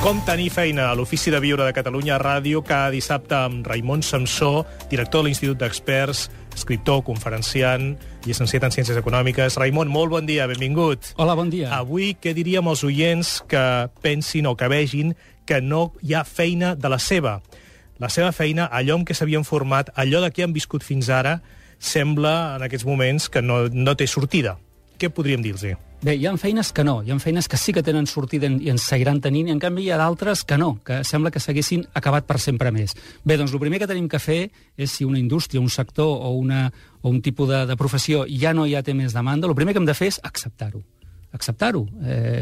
Com tenir feina a l'Ofici de Viure de Catalunya Ràdio cada dissabte amb Raimon Samsó, director de l'Institut d'Experts, escriptor, conferenciant, llicenciat en Ciències Econòmiques. Raimon, molt bon dia, benvingut. Hola, bon dia. Avui, què diríem als oients que pensin o que vegin que no hi ha feina de la seva? La seva feina, allò en què s'havien format, allò de què han viscut fins ara, sembla en aquests moments que no té sortida. Què podríem dir-los? Bé, hi ha feines que no, hi ha feines que sí que tenen sortida i ens seguiran tenint, i en canvi hi ha d'altres que no, que sembla que s'haguessin acabat per sempre més. Bé, doncs el primer que tenim que fer és, si una indústria, un sector o un tipus de professió ja no hi té més demanda, el primer que hem de fer és acceptar-ho. Acceptar-ho.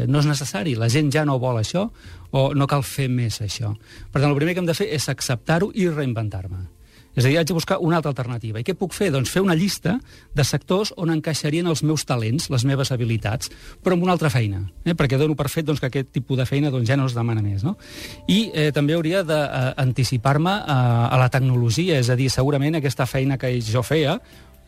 No és necessari, la gent ja no vol això, o no cal fer més això. Per tant, el primer que hem de fer és acceptar-ho i reinventar-me. És a dir, haig de buscar una altra alternativa. I què puc fer? Doncs fer una llista de sectors on encaixarien els meus talents, les meves habilitats, però amb una altra feina, perquè dono per fet que aquest tipus de feina ja no es demana més. No? I també hauria d'anticipar-me a la tecnologia, és a dir, segurament aquesta feina que jo feia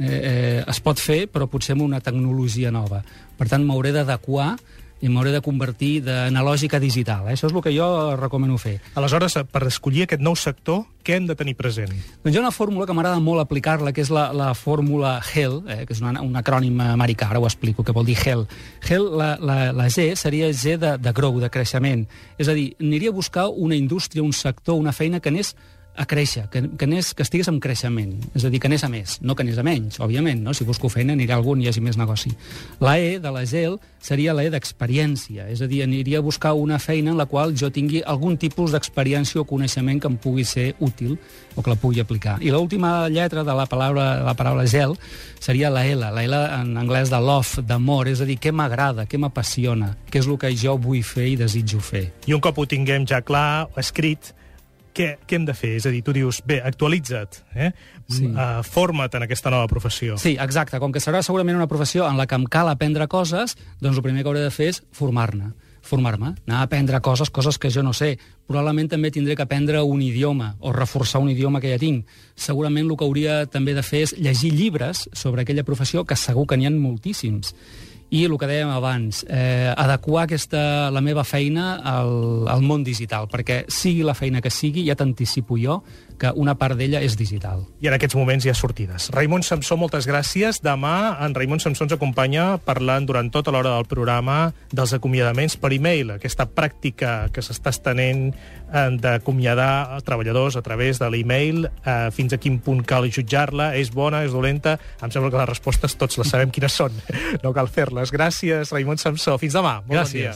es pot fer, però potser amb una tecnologia nova. Per tant, m'hauré d'adequar i m'hauré de convertir d'analògic a digital. Això és el que jo recomano fer. Aleshores, per escollir aquest nou sector, què hem de tenir present? Doncs hi ha una fórmula que m'agrada molt aplicar-la, que és la fórmula HEL, que és un acrònim americà, ara ho explico, que vol dir HEL. HEL, la G, seria G de grow, de creixement. És a dir, aniria a buscar una indústria, un sector, una feina que anés a créixer, que estigués en creixement, és a dir, que anés a més, no que anés a menys, òbviament, no? Si busco feina anirà a algun i hi hagi més negoci. La E de la GEL seria la E d'experiència, és a dir, aniria a buscar una feina en la qual jo tingui algun tipus d'experiència o coneixement que em pugui ser útil o que la pugui aplicar. I l'última lletra de la paraula GEL seria la L en anglès de love, d'amor, és a dir, què m'agrada, què m'apassiona, què és el que jo vull fer i desitjo fer. I un cop ho tinguem ja clar, escrit, què hem de fer? És a dir, tu dius, bé, actualitza't, sí. Forma't en aquesta nova professió. Sí, exacte. Com que serà segurament una professió en la que em cal aprendre coses, doncs el primer que hauré de fer és formar-me, anar a aprendre coses que jo no sé. Probablement també tindré que aprendre un idioma o reforçar un idioma que ja tinc. Segurament el que hauria també de fer és llegir llibres sobre aquella professió, que segur que n'hi ha moltíssims. I el que dèiem abans, adequar la meva feina al món digital, perquè sigui la feina que sigui, ja t'anticipo jo que una part d'ella és digital. I en aquests moments hi ha sortides. Raimon Samsó, moltes gràcies. Demà en Raimon Samsó ens acompanya parlant durant tota l'hora del programa dels acomiadaments per e-mail, aquesta pràctica que s'està estenent d'acomiadar treballadors a través de l'e-mail, fins a quin punt cal jutjar-la, és bona, és dolenta? Em sembla que les respostes tots les sabem quines són, no cal fer-les. Gràcies, Raimon Samsó. Fins demà. Molt bon dia.